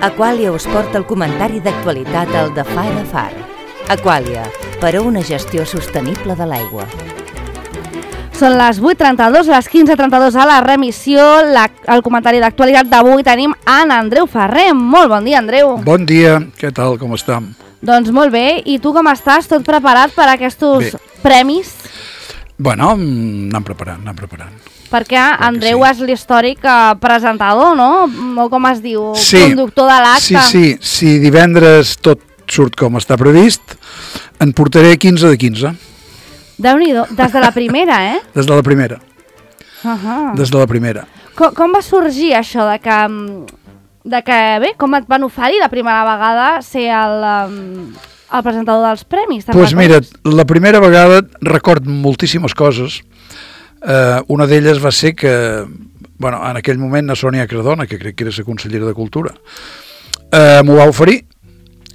Aquàlia us porta el comentari d'actualitat al de Far a Far. Aquàlia, per a una gestió sostenible de l'aigua. Són les 8:32, les 15:32 a la remissió. El comentari d'actualitat d'avui tenim en Andreu Ferrer. Molt bon dia, Andreu. Bon dia, què tal, com estem? Doncs molt bé, i tu com estàs? Tot preparat per a aquests premis? Bueno, anem preparant. Perquè Andreu és l'històric presentador, no? O com es diu? Sí. Conductor de l'acte. Sí, si divendres tot surt com està previst, en portaré 15 de 15. Déu-n'hi-do, des de la primera, eh? Des de la primera. Des de la primera. Com va sorgir això de que bé, com et van oferir la primera vegada ser el presentador dels premis? Doncs mira, la primera vegada record moltíssimes coses. Una d'elles va ser que, bueno, en aquell moment la Sònia Cardona, que crec que era la consellera de Cultura, m'ho va oferir.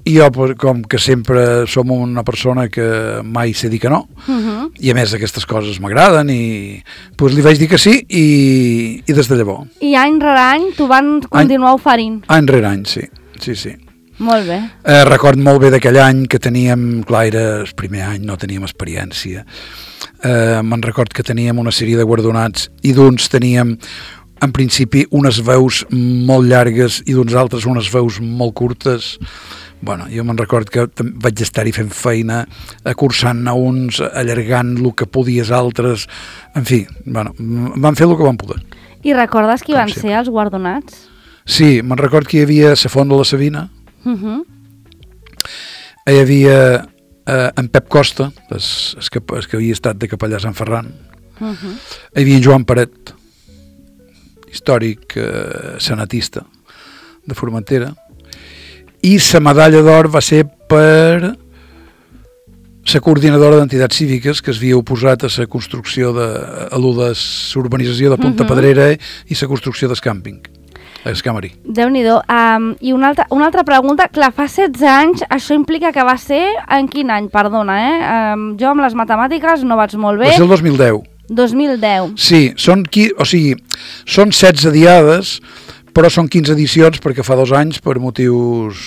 I jo, com que sempre som una persona que mai sé dir que no, i a més aquestes coses m'agraden, i doncs li vaig dir que sí, i des de llavors. I any rere any t'ho van continuar oferint? Any rere any, sí. Molt bé. Record molt bé d'aquell any que teníem, clar, era el primer any, no teníem experiència. Me'n record que teníem una sèrie de guardonats i d'uns teníem en principi unes veus molt llargues i d'uns altres unes veus molt curtes. Bueno, jo me'n record que vaig estar-hi fent feina, cursant a uns, allargant el que podies altres, en fi, bueno, van fer el que van poder. I recordes qui van ser els guardonats? Sí, me'n record que hi havia la Font de la Sabina, hi havia en Pep Costa, el que havia estat de capellà a Sant Ferran, hi havia en Joan Paret, històric senatista de Formentera, i la medalla d'or va ser per la coordinadora d'entitats cíviques que s'havia oposat a la construcció de l'urbanització de Ponta Pedrera i la construcció del càmping, el Camarí. Déu-n'hi-do. I una altra pregunta, clar, fa 16 anys, això implica que va ser en quin any, perdona, jo amb les matemàtiques no vaig molt bé. Va ser el 2010. 2010. Sí, són 16 diades, però són 15 edicions perquè fa 2 anys, per motius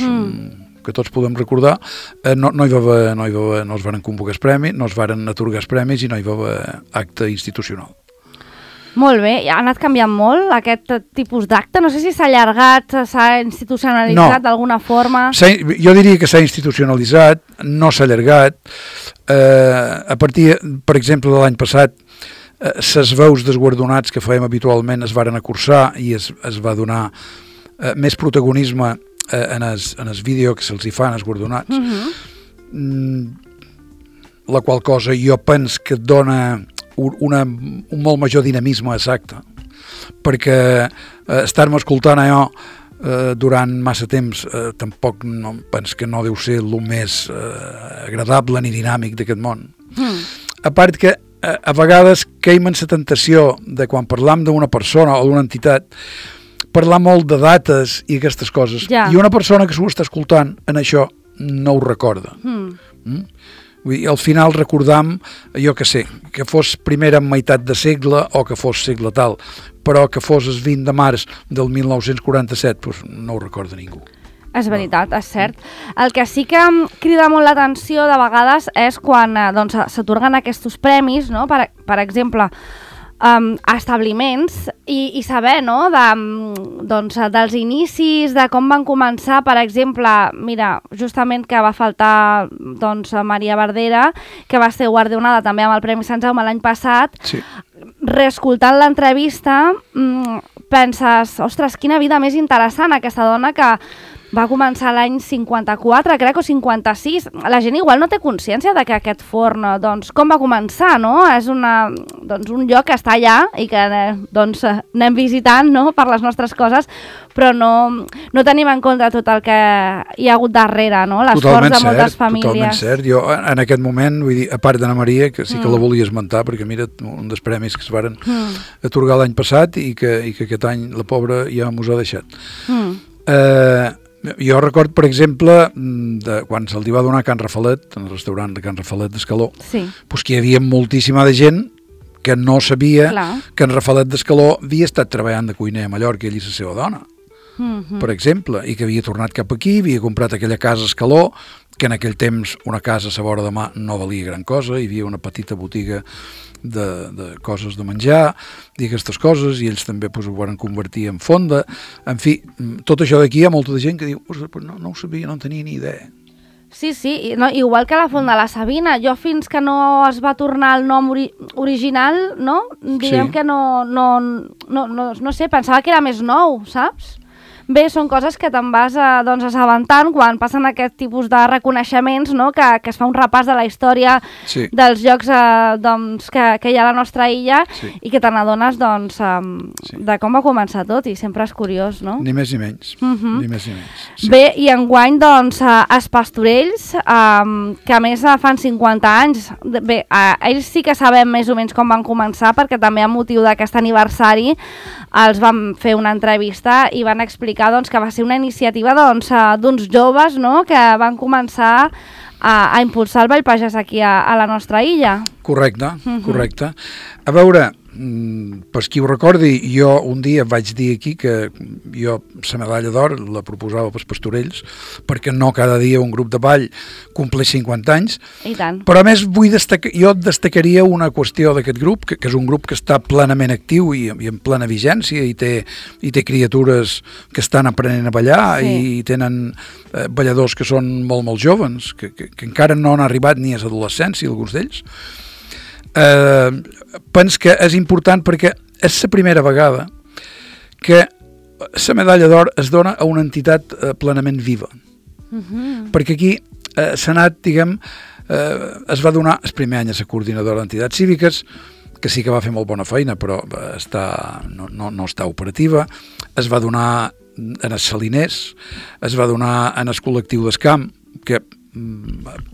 que tots podem recordar, no es van convocar els premis, no es van atorgar els premis i no hi va haver acte institucional. Molt bé, ha anat canviant molt aquest tipus d'acte? No sé si s'ha allargat, s'ha institucionalitzat d'alguna forma. Jo diria que s'ha institucionalitzat, no s'ha allargat. A partir, per exemple, de l'any passat, les veus dels guardonats que fèiem habitualment es varen acursar i es va donar més protagonisme en el vídeo que se'ls hi fan als guardonats, la qual cosa jo penso que dona un molt major dinamisme a l'acte, perquè estar-me escoltant allò durant massa temps tampoc penso que no deu ser el més agradable ni dinàmic d'aquest món. A part que a vegades caiem en la tentació de quan parlam d'una persona o d'una entitat parlar molt de dates i aquestes coses, i una persona que s'ho està escoltant en això no ho recorda. Vull dir, al final recordam, jo que sé, que fos primera meitat de segle o que fos segle tal, però que fos el 20 de març del 1947, doncs no ho recorda ningú. És veritat, és cert. El que sí que crida molt l'atenció de vegades és quan s'atorguen aquests premis, no? Per exemple, a establiments i saber, no? Dels inicis, de com van començar, per exemple, mira, justament que va faltar Maria Verdera, que va ser guardonada també amb el Premi Sant Jaume l'any passat. Sí. Reescoltant l'entrevista, penses, ostres, quina vida més interessant aquesta dona que va començar l'any 54, crec, o 56. La gent igual no té consciència de que aquest forn, com va començar, no? És un lloc que està allà i que anem visitant, no?, per les nostres coses, però no tenim en compte tot el que hi ha hagut darrere, no?, l'esforç de moltes famílies. Totalment cert. Jo, en aquest moment, vull dir, a part d'Anna Maria, que sí que la volia esmentar, perquè mira, un dels premis que es varen atorgar l'any passat i que aquest any la pobra ja mos ha deixat. Jo record, per exemple, quan se'l va donar a Can Rafalet, en el restaurant de Can Rafalet d'Escaló, que hi havia moltíssima de gent que no sabia que en Rafalet d'Escaló havia estat treballant de cuiner a Mallorca, ell i la seva dona. per exemple, i que havia tornat cap aquí, havia comprat aquella casa Escaló, que en aquell temps una casa a la vora de mà no valia gran cosa, hi havia una petita botiga de coses de menjar i aquestes coses, i ells també ho van convertir en fonda. En fi, tot això d'aquí hi ha molta de gent que diu no ho sabia, no en tenia ni idea. Sí, no, igual que la Font de la Sabina. Jo fins que no es va tornar el nom original, no? Diguem que no sé, pensava que era més nou, saps? Bé, són coses que te'n vas assabentant quan passen aquest tipus de reconeixements, no? Que es fa un repàs de la història dels llocs que hi ha a la nostra illa i que te n'adones de com va començar tot, i sempre és curiós, no? Ni més ni menys. Ni més ni menys. Sí. Bé, i enguany, els Pastorells, que a més fan 50 anys, bé, ells sí que sabem més o menys com van començar, perquè també a motiu d'aquest aniversari els vam fer una entrevista i van explicar que va ser una iniciativa d'uns joves, no?, que van començar a impulsar el Ball Pagès aquí a la nostra illa. Correcte, correcte. A veure, per qui ho recordi, jo un dia vaig dir aquí que jo la medalla d'or la proposava pels Pastorells, perquè no cada dia un grup de ball compleix 50 anys. I tant. Però a més jo destacaria una qüestió d'aquest grup, que és un grup que està plenament actiu i en plena vigència, i té criatures que estan aprenent a ballar, i tenen balladors que són molt, molt joves, que encara no han arribat ni a l'adolescència, alguns d'ells. Penso que és important perquè és la primera vegada que la medalla d'or es dona a una entitat plenament viva. Perquè aquí s'ha anat, diguem, es va donar el primer any a la coordinadora d'entitats cíviques, que sí que va fer molt bona feina, però no està operativa. Es va donar en els Saliners, es va donar en el col·lectiu d'Escamp, que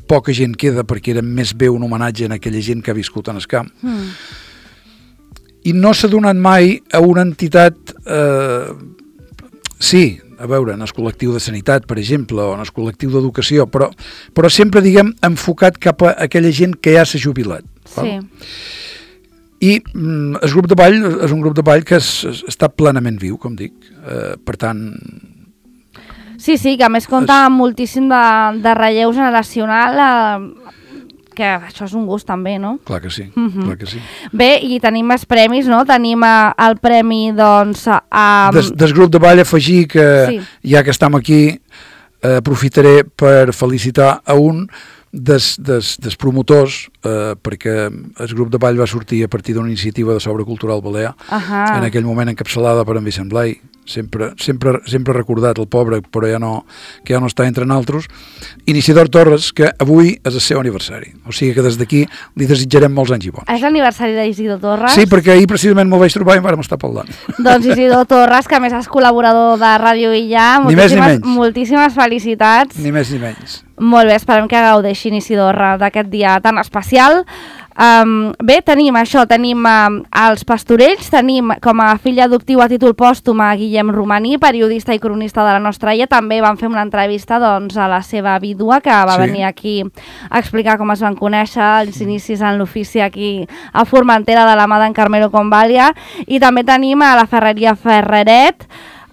poca gent queda perquè era més bé un homenatge a aquella gent que ha viscut en el camp. I no s'ha donat mai a una entitat, a veure, en el col·lectiu de sanitat, per exemple, o en el col·lectiu d'educació, però sempre, diguem, enfocat cap a aquella gent que ja s'ha jubilat. Sí. I el grup de ball és un grup de ball que està plenament viu, com dic. Per tant... Sí, que a més compta amb moltíssim de relleu generacional, que això és un gust també, no? Clar que sí, clar que sí. Bé, i tenim més premis, no? Tenim el premi, Del grup de ball, afegir que, ja que estem aquí, aprofitaré per felicitar a un dels promotors, perquè el grup de ball va sortir a partir d'una iniciativa de Sobre Cultural Balear, en aquell moment encapçalada per en Vicent Blai, sempre recordat, el pobre, però que ja no està entre nosaltres, Iniciador Torres, que avui és el seu aniversari. O sigui que des d'aquí li desitjarem molts anys i bons. És l'aniversari d'Isidor Torres? Sí, perquè ahir precisament m'ho vaig trobar i vam estar parlant. Doncs Isidor Torres, que a més és col·laborador de Ràdio Illa, moltíssimes felicitats. Ni més ni menys. Molt bé, esperem que gaudeixin, Isidor, d'aquest dia tan especial. Bé, tenim els Pastorells, tenim com a fill adoptiu a títol pòstum a Guillem Romaní, periodista i cronista de la nostra illa. També vam fer una entrevista a la seva vídua, que va venir aquí a explicar com es van conèixer, els inicis en l'ofici aquí a Formentera de la mà d'en Carmelo Convalia. I també tenim a la Ferreria Ferreret,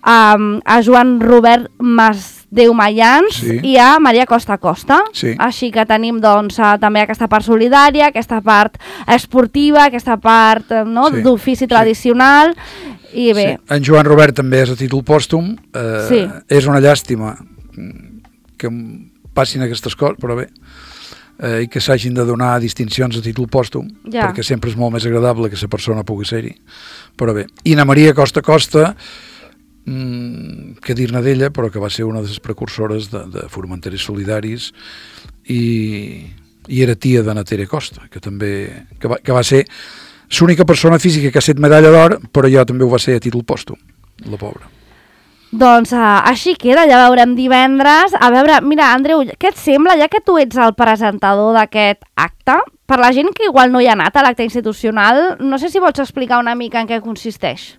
a Joan Robert Masdeu Mayans i a Maria Costa. Així que tenim també aquesta part solidària, aquesta part esportiva, aquesta part d'ofici tradicional. I bé. En Joan Robert també és a títol pòstum. És una llàstima que passin aquestes coses, però bé, i que s'hagin de donar distincions a títol pòstum, perquè sempre és molt més agradable que la persona pugui ser-hi. Però bé. I na Maria Costa, que dir-ne d'ella, però que va ser una de les precursores de Formenteres Solidaris i era tia de Tere Costa, que també que va ser l'única persona física que ha estat medalla d'or, però jo també ho va ser a títol pòstum, la pobra. Doncs així queda, ja veurem divendres. A veure, mira, Andreu, què et sembla, ja que tu ets el presentador d'aquest acte, per la gent que igual no hi ha anat a l'acte institucional, no sé si vols explicar una mica en què consisteix.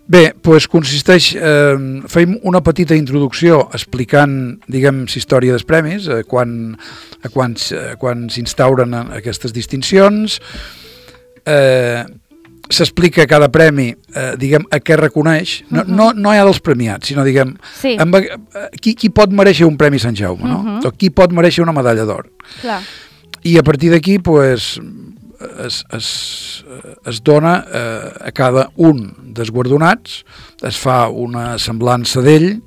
Bé, doncs consisteix, fem una petita introducció explicant, diguem, la història dels premis, quan s'instauren aquestes distincions, s'explica cada premi, diguem, a què reconeix, no hi ha dels premiats, sinó, diguem, qui pot mereixer un Premi Sant Jaume, no? O qui pot mereixer una medalla d'or. Clar. I a partir d'aquí, pues, es dona a cada un dels guardonats, es fa una semblança d'ell,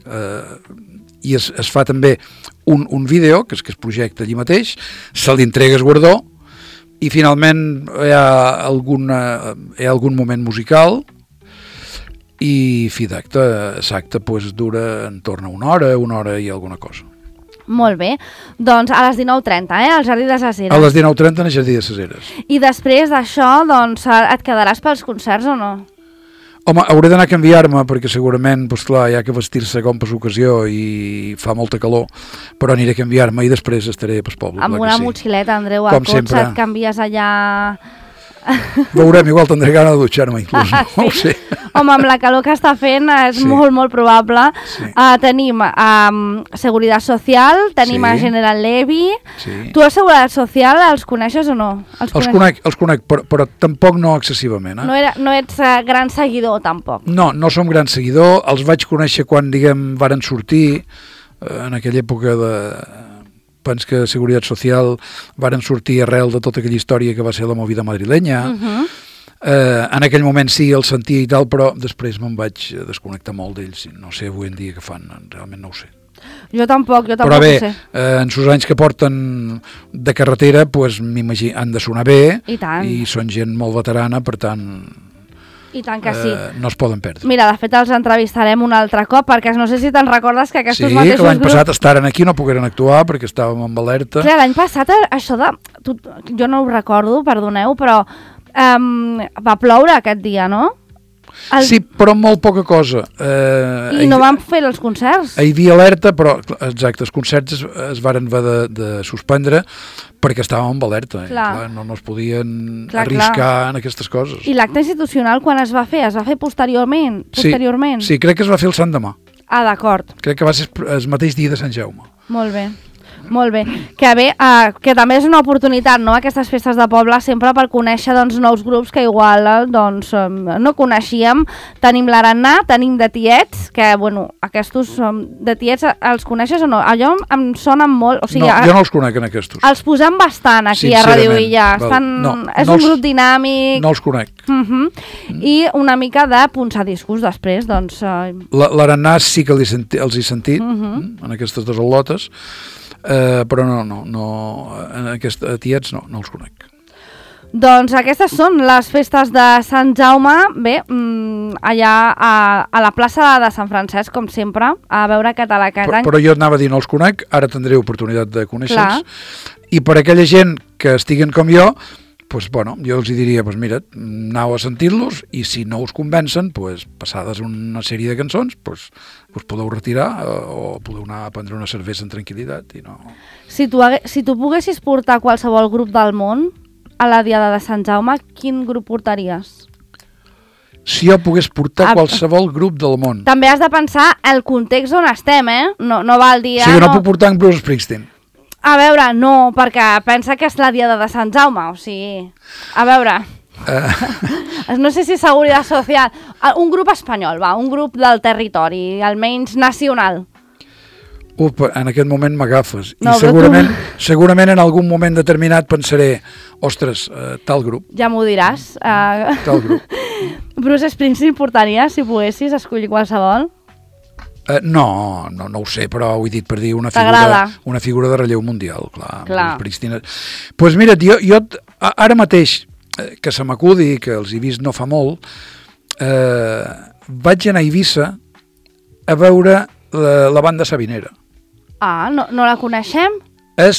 i es fa també un vídeo, que es projecta allí mateix, se li entrega el guardó, i finalment hi ha algun moment musical i fi d'acte, l'acte pues, dura entorn a una hora i alguna cosa. Molt bé, doncs a les 19:30, al Jardí de ses Eres. A les 19:30 al Jardí de ses Eres. I després d'això, doncs, et quedaràs pels concerts o no? Home, hauré d'anar a canviar-me perquè segurament, doncs clar, hi ha que vestir-se com per l'ocasió i fa molta calor, però aniré a canviar-me i després estaré pel poble. Amb una motxileta, Andreu, al cotxe et canvies allà... Veurem, igual tindré gana de dutxar-me inclús, no ho sé. Home, amb la calor que està fent és molt probable. Tenim Seguridad Social, tenim a General Levy. Tu a Seguridad Social els coneixes o no? Els conec, però tampoc no excessivament. No ets gran seguidor, tampoc. No som gran seguidor, els vaig conèixer quan, diguem, varen sortir, en aquella època de... Pens que Seguridad Social varen sortir arrel de tota aquella història que va ser la movida madrilenya. En aquell moment sí, el sentia i tal, però després me'n vaig desconnectar molt d'ells. No sé avui en dia què fan, realment no ho sé. Jo tampoc però bé, ho sé. En els anys que porten de carretera pues, m'imagino, han de sonar bé i són gent molt veterana, per tant... I tant que sí. No es poden perdre. Mira, de fet els entrevistarem un altre cop, perquè no sé si te'n recordes que aquests mateixos grups... Sí, que l'any passat estaren aquí, no pogueren actuar perquè estàvem amb alerta. Clar, l'any passat això de... Jo no ho recordo, perdoneu, però va ploure aquest dia, no? Sí, però molt poca cosa. I no van fer els concerts? Hi havia alerta, però, exacte, els concerts es varen haver de suspendre perquè estàvem amb alerta. Clar, no es podien arriscar en aquestes coses. I l'acte institucional quan es va fer? Es va fer posteriorment? Sí, crec que es va fer el Sant Demà. Ah, d'acord. Crec que va ser el mateix dia de Sant Jaume. Molt bé. Molt bé, que també és una oportunitat, no?, aquestes festes de poble sempre per conèixer nous grups que igual no coneixíem. Tenim l'Arannà, tenim de Tiets, que aquests de Tiets els coneixes o no? Allò em sonen molt... No, jo no els conec en aquests. Els posem bastant aquí a Radio Illa. És un grup dinàmic. No els conec. I una mica de punxadiscos després, doncs... L'Arannà sí que els he sentit en aquestes dues al·lotes, però no, en aquests Tiets no els conec. Doncs aquestes són les festes de Sant Jaume, bé, allà a la plaça de Sant Francesc, com sempre, a veure català aquest any. Però jo anava a dir no els conec, ara tindré oportunitat de conèixer-los, i per aquella gent que estiguen com jo, pues, jo els diria, mira, aneu a sentir-los i si no us convencen, passades una sèrie de cançons, us podeu retirar o podeu anar a prendre una cervesa en tranquil·litat. Si tu poguessis portar qualsevol grup del món a la Diada de Sant Jaume, quin grup portaries? Si jo pogués portar qualsevol grup del món. També has de pensar el context on estem, No val dir... Sí, no puc portar en Bruce Springsteen. A veure, no, perquè pensa que és la Diada de Sant Jaume, o sigui... A veure... No sé si Seguridad Social... Un grup espanyol, un grup del territori, almenys nacional. En aquest moment m'agafes. No, I segurament en algun moment determinat pensaré, ostres, tal grup. Ja m'ho diràs. Tal grup. Bruce Springsteen portaria, si poguessis escollir qualsevol? No ho sé, però ho he dit per dir una figura de relleu mundial, clar. Doncs mira, jo ara mateix, que se m'acudi, que els he vist no fa molt, vaig anar a Eivissa a veure la banda Sabinera. Ah, no la coneixem?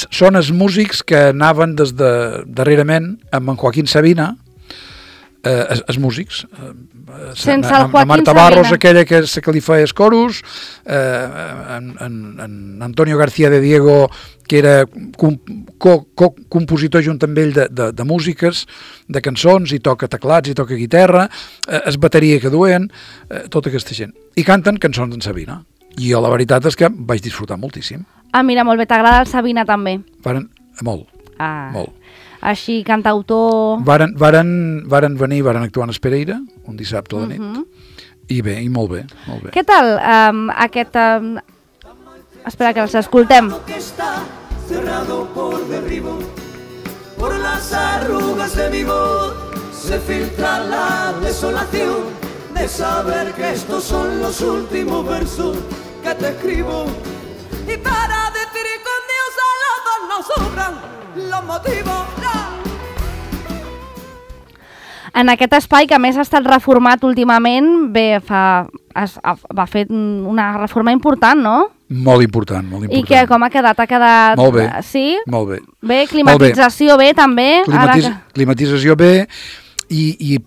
Són els músics que anaven des de darrerament amb en Joaquín Sabina, els músics, sense el Joaquín Marta Barros, aquella que li feia els coros, en Antonio García de Diego, que era compositor junt amb ell de músiques, de cançons, i toca teclats, i toca guitarra, es bateria que duen, tota aquesta gent. I canten cançons d'en Sabina. I jo la veritat és que vaig disfrutar moltíssim. Ah, mira, molt bé, t'agrada el Sabina també? Molt. Molt. així cantautor... Varen venir, varen actuar en Espereira, un dissabte a la nit, i bé, i molt bé, molt bé. Què tal aquest... Espera, que els escoltem. Cerrado por derribo, por las arrugas de mi voz se filtra la desolación de saber que estos son los últimos versos que te escribo. Y para decir con Dios a los dos nos sobran los motivos. En aquest espai, que a més ha estat reformat últimament, bé, va fer una reforma important, no? Molt important, molt important. I que com ha quedat? Ha quedat... Molt bé. Sí? Molt bé. Bé, climatització bé, també. Climatització bé i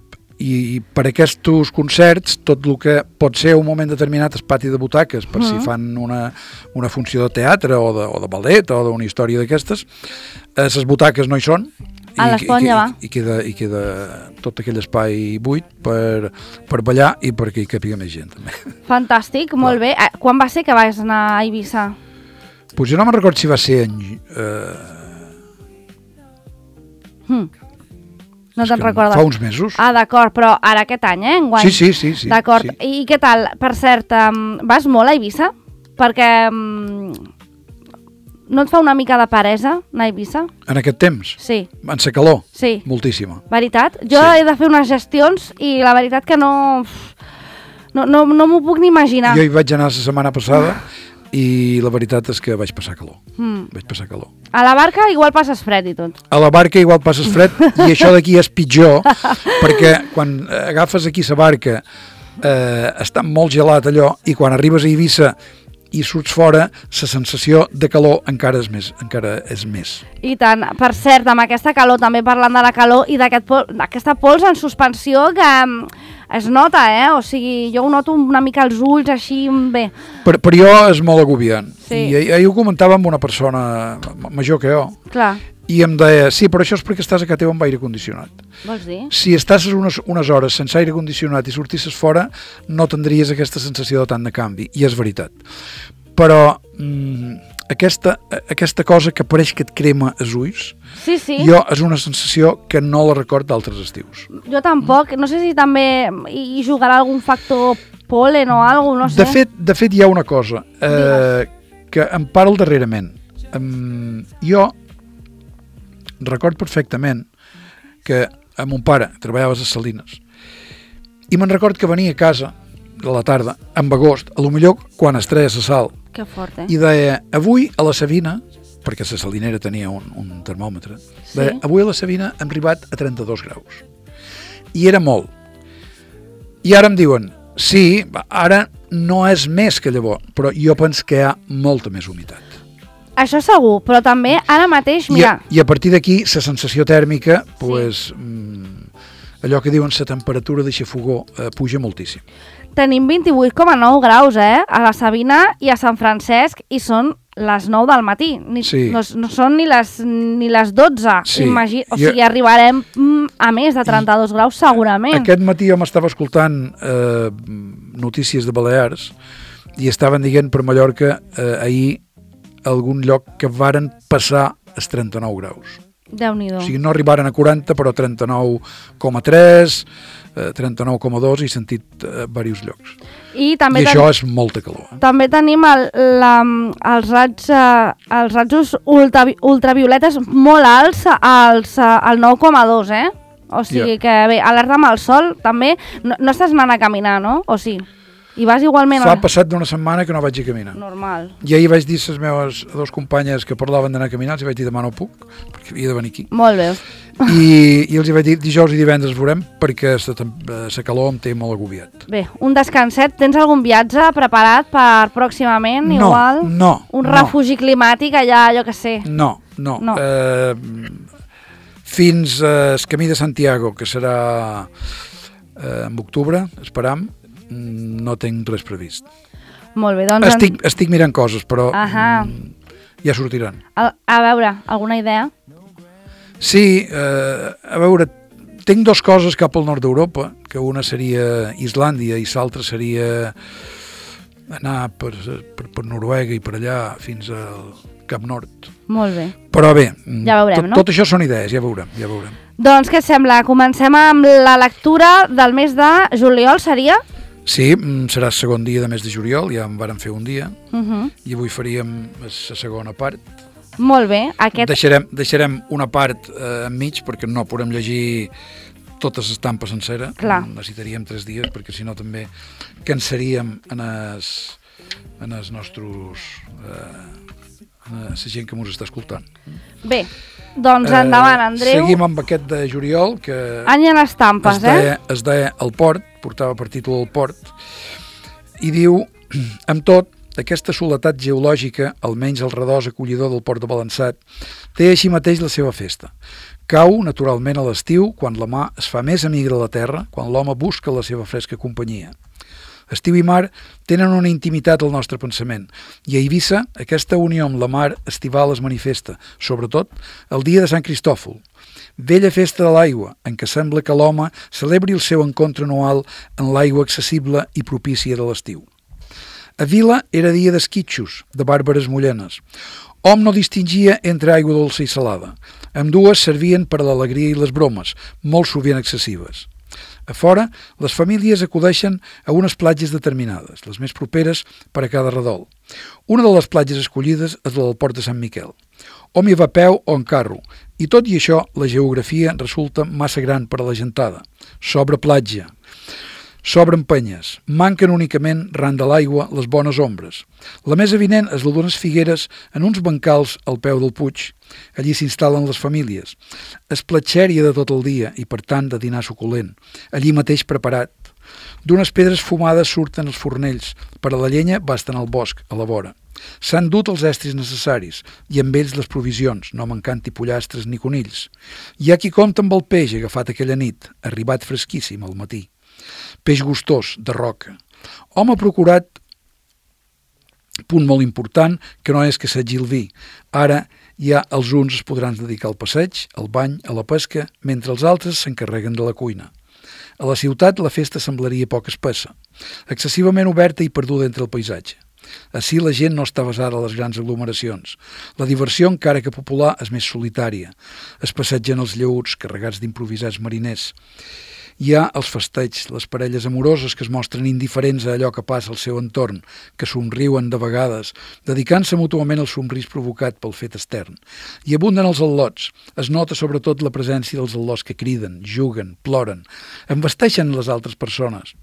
per aquests concerts, tot el que pot ser un moment determinat és pati de butaques, per si fan una funció de teatre o de ballet o d'una història d'aquestes, les butaques no hi són, a l'Esponja, va. I queda tot aquell espai buit per ballar i perquè hi càpiga més gent, també. Fantàstic, molt bé. Quan va ser que vas anar a Eivissa? Pues jo no me'n recordo si va ser en... No te'n recordes? Fa uns mesos. Ah, d'acord, però ara aquest any, enguany? Sí. D'acord. Sí. I què tal? Per cert, vas molt a Eivissa? Perquè... No et fa una mica de peresa anar a Eivissa? En aquest temps? Sí. En sa calor? Sí. Moltíssima. Veritat? Jo he de fer unes gestions i la veritat que no m'ho puc ni imaginar. Jo hi vaig anar la setmana passada i la veritat és que vaig passar calor. Vaig passar calor. A la barca igual passes fred i tot. A la barca igual passes fred i això d'aquí és pitjor perquè quan agafes aquí la barca està molt gelat allò i quan arribes a Eivissa i surts fora, la sensació de calor encara és més. I tant. Per cert, amb aquesta calor, també parlant de la calor i d'aquesta pols en suspensió que es nota, O sigui, jo ho noto una mica als ulls, així, bé. Per jo és molt agobiant. Sí. I ahir ho comentava amb una persona major que jo. Clar. I em deia, sí, però això és perquè estàs a casa teva amb aire condicionat. Vols dir? Si estàs unes hores sense aire condicionat i sortisses fora, no tindries aquesta sensació de tant de canvi, i és veritat. Però aquesta cosa que pareix que et crema els ulls, sí. Jo és una sensació que no la record d'altres estius. Jo tampoc, no sé si també hi jugarà algun factor pol·len o alguna cosa, no sé. De fet hi ha una cosa que em parla darrerament. Jo record perfectament que a mon pare treballava a les Salines i me'n record que venia a casa a la tarda, en agost, a lo millor quan es treia la sal, que fort, i deia, avui a la Sabina, perquè la salinera tenia un termòmetre, deia, avui a la Sabina hem arribat a 32 graus. I era molt. I ara em diuen, sí, ara no és més que llavors, però jo penso que hi ha molta més humitat. Això segur, però també ara mateix, mira... I a partir d'aquí, la sensació tèrmica, pues, allò que diuen la temperatura de xafogó puja moltíssim. Tenim 28,9 graus, a la Sabina i a Sant Francesc, i són les 9 del matí. No són ni les 12. Sí. O sigui, arribarem a més de 32 graus segurament. Aquest matí jo m'estava escoltant notícies de Balears i estaven dient per Mallorca ahir algun lloc que varen passar els 39 graus. Déu-n'hi-do. O sigui, no arribaren a 40, però 39,3, 39,2 i he sentit diversos llocs. I això és molta calor. També tenim els rajos ultravioletes molt alts al 9,2, O sigui que bé, alerta amb el sol també. No estàs anant a caminar, no? O sí? I vas igualment... Fa passat d'una setmana que no vaig a caminar. Normal. I ahir vaig dir a les meves dos companyes que parlaven d'anar a caminar, els vaig dir demà no puc, perquè havia de venir aquí. Molt bé. I els vaig dir dijous i divendres veurem, perquè la calor em té molt agobiat. Bé, un descanset. Tens algun viatge preparat per pròximament? No, igual? No. Un refugi climàtic allà, jo què sé? No. Fins al Camí de Santiago, que serà en octubre, esperam, no tinc res previst. Molt bé, doncs... Estic mirant coses, però ja sortiran. A veure, alguna idea? Sí, a veure, tinc dues coses cap al nord d'Europa, que una seria Islàndia i l'altra seria anar per Noruega i per allà fins cap nord. Molt bé. Però bé, Ja veurem, no? tot això són idees, ja veurem. Doncs què et sembla? Comencem amb la lectura del mes de juliol, seria? Sí, serà el segon dia de mes de juliol, ja en vàrem fer un dia, i avui faríem la segona part. Molt bé. Deixarem una part enmig, perquè no podem llegir totes les tampes sencera. Clar. Necessitaríem 3 dies, perquè si no també cansaríem en els nostres... la gent que ens està escoltant. Bé, doncs endavant, Andreu. Seguim amb aquest de juliol, que Any en estampes, es deia El Port, portava per títol El Port, i diu, amb tot, aquesta soledat geològica, almenys el redós acollidor del Port de Balançat, té així mateix la seva festa. Cau, naturalment, a l'estiu, quan la mà es fa més amiga de la terra, quan l'home busca la seva fresca companyia. Estiu i mar tenen una intimitat al nostre pensament, i a Eivissa aquesta unió amb la mar estival es manifesta, sobretot el dia de Sant Cristòfol, vella festa de l'aigua, en què sembla que l'home celebri el seu encontre anual en l'aigua accessible i propícia de l'estiu. A Vila era dia d'esquitxos, de bàrbares mullenes. Hom no distingia entre aigua dolça i salada. Ambdues servien per a l'alegria i les bromes, molt sovint excessives. A fora, les famílies acudeixen a unes platges determinades, les més properes per a cada redol. Una de les platges escollides és la del Port de Sant Miquel. Hom hi va a peu o en carro, i tot i això la geografia resulta massa gran per a la gentada. S'obre platja, s'obren penyes, manquen únicament, ran de l'aigua, les bones ombres. La més evident és la d'unes figueres en uns bancals al peu del puig. Allí s'instal·len les famílies. Es platxèria de tot el dia i, per tant, de dinar suculent. Allí mateix preparat. D'unes pedres fumades surten els fornells. Per a la llenya basten al bosc, a la vora. S'han dut els estris necessaris i amb ells les provisions, no mancant-hi pollastres ni conills. Hi ha qui compta amb el peix agafat aquella nit, arribat fresquíssim al matí. Peix gustós, de roca. Hom ha procurat, punt molt important, que no és que s'hagi el vi. Ara ja els uns es podran dedicar al passeig, al bany, a la pesca, mentre els altres s'encarreguen de la cuina. A la ciutat la festa semblaria poc espessa, excessivament oberta i perduda entre el paisatge. Ací la gent no està basada a les grans aglomeracions. La diversió, encara que popular, és més solitària. Es passegen els lleuts carregats d'improvisats mariners. Hi ha els festeigs, les parelles amoroses que es mostren indiferents a allò que passa al seu entorn, que somriuen de vegades, dedicant-se mútuament al somrís provocat pel fet extern. I abunden els al·lots. Es nota sobretot la presència dels al·lots que criden, juguen, ploren, embesteixen les altres persones.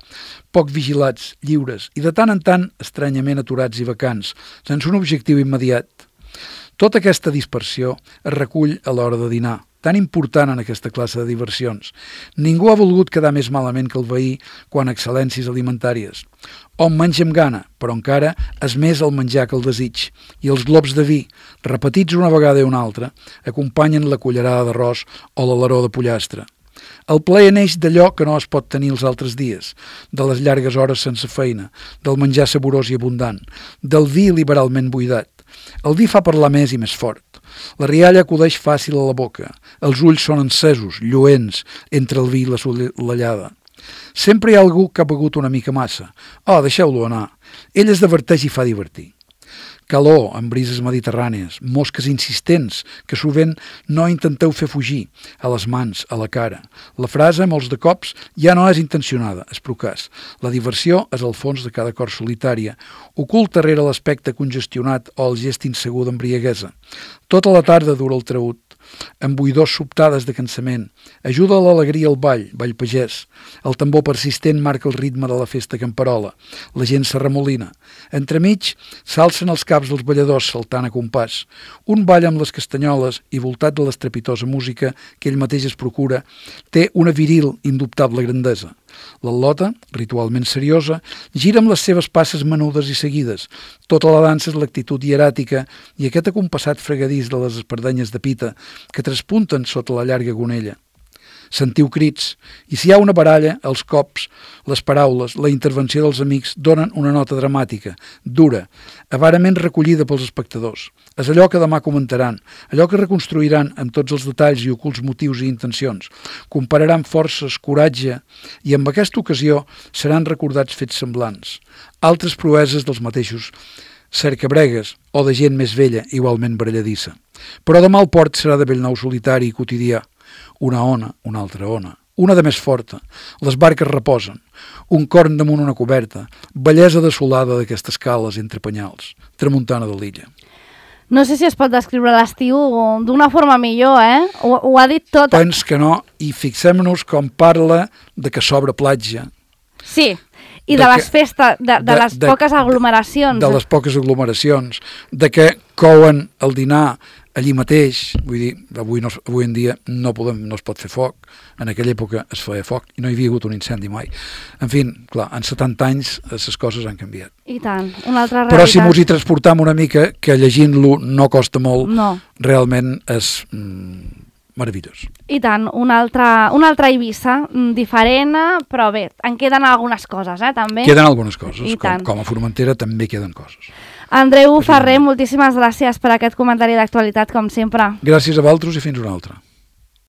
Poc vigilats, lliures i de tant en tant estranyament aturats i vacants, sense un objectiu immediat. Tota aquesta dispersió es recull a l'hora de dinar, tan important en aquesta classe de diversions. Ningú ha volgut quedar més malament que el veí quan a excel·lències alimentàries. Hom menja amb gana, però encara és més el menjar que el desig, i els globs de vi, repetits una vegada i una altra, acompanyen la cullerada d'arròs o l'alaró de pollastre. El plaer neix d'allò que no es pot tenir els altres dies, de les llargues hores sense feina, del menjar saborós i abundant, del vi liberalment buidat. El vi fa parlar més i més fort. La rialla acudeix fàcil a la boca. Els ulls són encesos, lluents, entre el vi i la solellada. Sempre hi ha algú que ha begut una mica massa. Oh, deixeu-lo anar. Ell es diverteix i fa divertir. Calor amb brises mediterrànies, mosques insistents que sovint no intenteu fer fugir, a les mans, a la cara. La frase, molts de cops, ja no és intencionada, és procàs. La diversió és al fons de cada cor solitària, ocult darrere l'aspecte congestionat o el gest insegur d'embriaguesa. Tota la tarda dura el traüt, amb buidors sobtades de cansament. Ajuda a l'alegria el ball pagès. El tambor persistent marca el ritme de la festa camperola. La gent s'arremolina. Entremig s'alcen els caps dels balladors saltant a compàs. Un ball amb les castanyoles i voltat de l'estrepitosa música que ell mateix es procura, té una viril, indubtable grandesa. L'al·lota, ritualment seriosa, gira amb les seves passes menudes i seguides. Tota la dansa és l'actitud hieràtica i aquest acompassat fregadís de les espardenyes de pita que traspunten sota la llarga gonella. Sentiu crits, i si hi ha una baralla, els cops, les paraules, la intervenció dels amics donen una nota dramàtica, dura, avarament recollida pels espectadors. És allò que demà comentaran, allò que reconstruiran amb tots els detalls i ocults motius i intencions, compararan forces, coratge, i amb aquesta ocasió seran recordats fets semblants, altres proeses dels mateixos cercabregues o de gent més vella, igualment baralladissa. Però demà el port serà de Bellnou solitari i quotidià. Una ona, una altra ona, una de més forta. Les barques reposen, un corn damunt una coberta, bellesa desolada d'aquestes cales entre penyals, tramuntana de l'illa. No sé si es pot descriure l'estiu d'una forma millor, Ho ha dit tot. Pens que no, i fixem-nos com parla de que s'obre platja. Sí, i de les festes, de les poques aglomeracions. De les poques aglomeracions, de que couen el dinar allí mateix, vull dir, avui en dia no es pot fer foc, en aquella època es feia foc i no hi havia hagut un incendi mai. En fi, clar, en 70 anys les coses han canviat. I tant, una altra realitat. Però si mos hi transportam una mica, que llegint-lo no costa molt, realment és meravellós. I tant, una altra Eivissa, diferent, però bé, en queden algunes coses, també. Queden algunes coses, com a Formentera també queden coses. Andreu Ferrer, moltíssimes gràcies per aquest comentari d'actualitat, com sempre. Gràcies a vosaltres i fins una altra.